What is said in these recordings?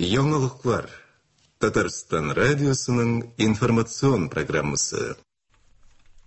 Яңалыклар. Татарстан радиосының информацион программасы.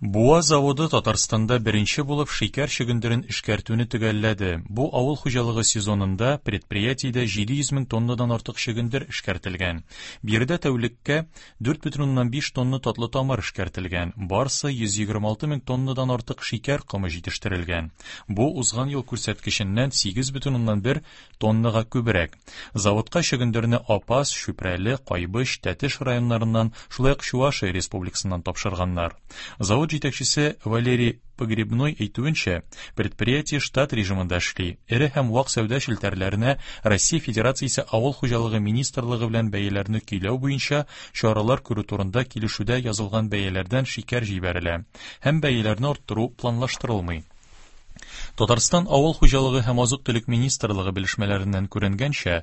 Буа заводы Татарстанда беренче булып шикәр чөгендерен эшкәртүне төгәлләде. Бу авыл хуҗалыгы сезонында предприятиедә 700 мең тоннадан артык чөгендер эшкәртелгән. Биредә тәүлеккә 4,5 тонна татлы тамыр эшкәртелгән. Барсы 126 мең тоннадан артык шикәр комы җитештерелгән. Бу узган ел күрсәткеченнән 8,1 тоннага күбрәк. Заводка чөгендерне Апас, Чүпрәле, Кайбыч, Тәтеш районнарыннан, шулай ук Чувашия республикасыннан тапшырганнар. Завод җитәкчесе Валерий Погребной әйтүенчә, предприятие штат режимында эшли. Эре һәм вак сәүдә челтәрләренә Россия Федерациясе Авыл хуҗалыгы министрлыгы белән бәяләрне көйләү буенча чаралар күрү турында килешүдә язылган бәяләрдән шикәр җибәрелә һәм бәяләрне арттыру планлаштырылмый. Татарстан Авыл хуҗалыгы һәм азык-төлек министрлыгы белешмәләреннән күренгәнчә,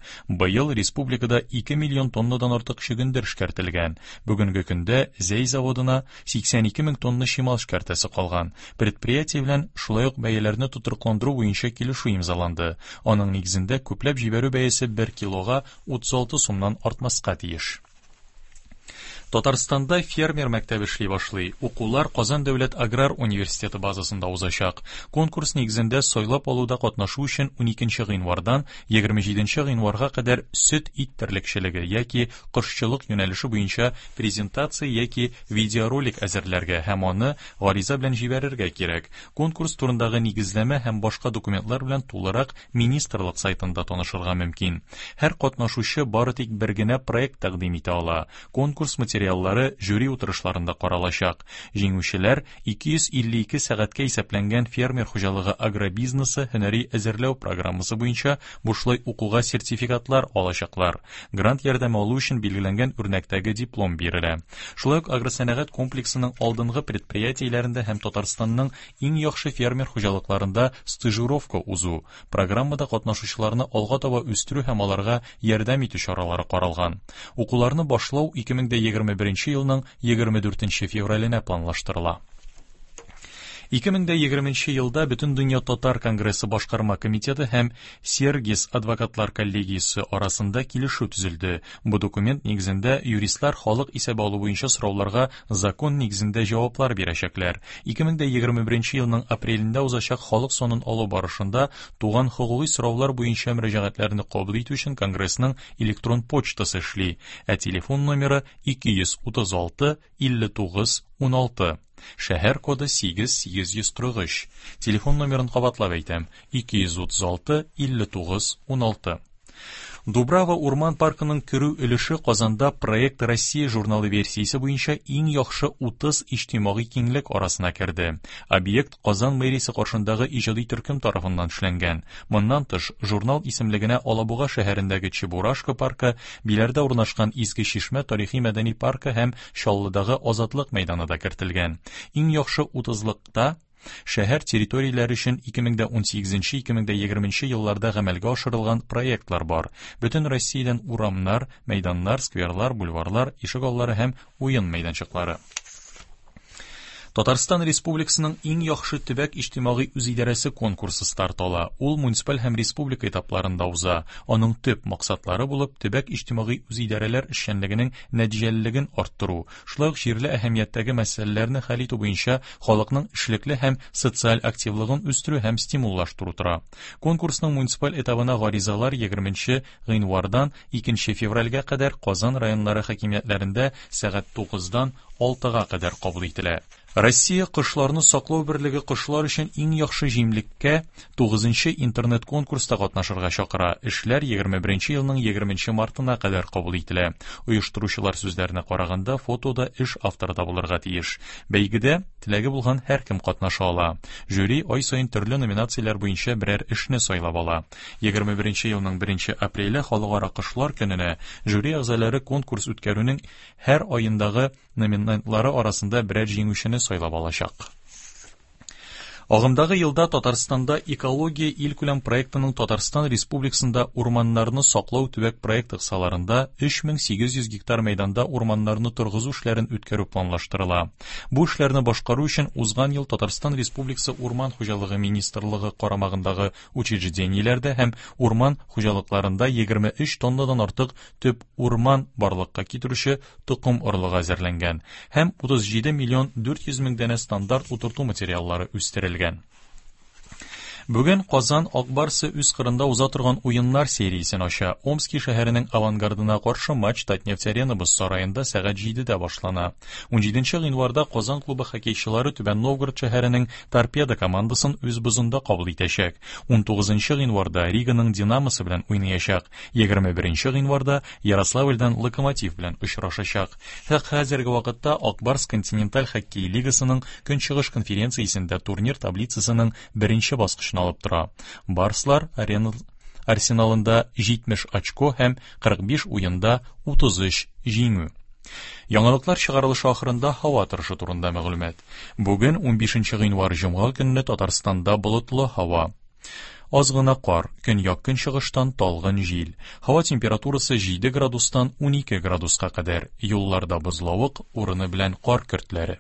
быел республикада 2 миллион тоннадан артык чөгендер эшкәртелгән. Бүгенге көндә Зәй заводына 82 мең тонна чимал эшкәртәсе калган. Предприятие белән шулай ук бәяләрне тотрыкландыру буенча килешү имзаланды. Аның нигезендә күпләп җибәрү бәясе бер килога 36 сумнан артмаска тиеш. Татарстанда фермер мәктәбе эшли башлый. Укулар Казан дәүләт аграр университеты базасында узачак. Конкурс нигезендә сайлап алуда катнашу өчен 12 гыйнвардан 27 гыйнварга кадәр сөт-ит терлекчелеге яки кошчылык юнәлеше буенча презентация яки видеоролик әзерләргә һәм аны гариза белән җибәрергә кирәк. Конкурс турындагы нигезләмә һәм башка документлар белән тулырак министрлык сайтында танышырга мөмкин. Һәр катнашучы бары тик бер генә проект тәкъдим итә ала. Конкурс материаллары жюри утырышларында каралачак. Җиңүчеләр 252 сәгатькә исәпләнгән фермер хуҗалыгы агробизнесы һөнәри әзерләү программасы буенча бушлай укуга сертификатлар алачаклар. Грант ярдәме алу өчен билгеләнгән үрнәктәге диплом бирелә. Шулай ук агросәнәгать комплексының алдынгы предприятиеләрендә һәм Татарстанның иң яхшы фермер хуҗалыкларында стажировка узу, программада катнашучыларны алга таба үстерү һәм аларга ярдәм итү чаралары каралган. Укуларны башлау 2021 елның 24 февраленә планлаштырыла. 2020 елда Бөтендөнья татар конгрессы башкарма комитеты һәм Сергис адвокатлар коллегиясе арасында килешү төзелде. Бу документ нигезендә юристлар халык исәбе алу буенча сорауларга закон нигезендә җаваплар бирәчәкләр. 2021 елның апрелендә узачак халык санын алу барышында туган хокукый сораулар буенча мөрәҗәгатьләрне кабул итү өчен Конгрессның электрон почтасы эшли, ә телефон номеры 236 59 16. Шәһәр коды 8843. Телефон номерын кабатлап әйтәм: 236 59 16. Дубрава урман паркының керү өлеше Казанда Проект Россия журналы версиясе буенча иң яхшы 30 иҗтимагый киңлек арасына керде. Объект Казан мэриясе каршындагы иҗади төркем тарафыннан эшләнгән. Моннан тыш, журнал исемлегенә Алабуга шәһәрендәге Чебурашка паркы, Биләрдә урнашкан Изге Чишмә тарихи-мәдәни паркы һәм Чаллыдагы Азатлык мәйданы да кертелгән. Иң яхшы утызлыкта шәһәр территорияләре өчен 2018-2020 елларда гамәлгә ашырылган проектлар бар. Бөтен Россиядән урамнар, мәйданнар, скверлар, бульварлар, ишегаллары һәм уен мәйданчыклары. Татарстан Республикасының иң яхшы төбәк иҗтимагый үзидарәсе конкурсы старт ала. Ул муниципаль һәм республика этапларында уза. Аның төп максатлары булып төбәк иҗтимагый үзидарәләр эшчәнлегенең нәтиҗәлелеген арттыру, шулай ук җирле әһәмияттәге мәсьәләләрне хәл итү буенча халыкның эшлекле һәм социаль активлыгын үстерү һәм стимуллаштыру тора. Конкурсның муниципаль этабына гаризалар 20 гыйнвардан 2 февральгә кадәр Казан районнары хакимиятләрендә сәгать 9-дан 6-га кадәр кабул ителә. Россия кошларны саклау берлеге кошлар өчен иң яхшы җимлеккә 9 интернет-конкурста катнашырга чакыра. Эшләр 21 елның 20 мартына кадәр кабул ителә. Оештыручылар сүзләренә караганда, фотода эш авторы да булырга тиеш. Бәйгедә теләге булган һәркем катнаша ала. Жюри ай саен төрле номинацияләр буенча берәр эшне сайлап ала. 21 елның 1 апреле Халыкара кошлар көненә жюри әгъзалары конкурс үткәрүнең һәр аендагы номинантлары арасында берәр җиңүчене сайлап алачак. Агымдагы елда Татарстанда Экология илкүләм проектының Татарстан Республикасында урманнарны саклау төбәк проекты кысаларында 3800 гектар мәйданда урманнарны торгызу эшләрен үткәрү планлаштырыла. Бу эшләрне башкару өчен узган ел Татарстан Республикасы Урман хуҗалыгы министрлыгы карамагындагы учреждениеләрдә һәм урман хуҗалыкларында 23 тоннадан артык төп урман барлыкка китерүче токым орлыгы әзерләнгән һәм 37 миллион 400 мең данә стандарт утырту материаллары үстерелгән. Бүген Казан Ак Барсы үз кырында уза торган уеннар сериясен ача. Омски шәһәренең Авангардына каршы матч Татнефть-Арена боз сараенда сәгать 7-дә башлана. 17 гыйнварда Казан клубы хоккейчылары Түбән Новгород шәһәренең Торпедо командасын үз бозында кабул итәчәк. 19 гыйнварда Риганың Динамосы белән уйнаячак. 21 гыйнварда Ярославльдән Локомотив белән очрашачак. Хәзерге вакытта Ак Барс континенталь хоккей лигасының Көнчыгыш конференциясендә турнир таблицасының беренче баскычын алып тора. Барслар арена арсеналында 70 очко һәм 45 уенда 33 җиңү. Яңалыклар чыгарылышы ахырында һава торышы турында мәгълүмат. Бүген 15 гыйнвар җомга көнне Татарстанда болытлы һава. Аз гына кар, көньяк-көнчыгыштан талгын җил. Һава температурасы 7 градустан 12 градуска кадәр. Юлларда бозлавык, урыны белән кар көртләре.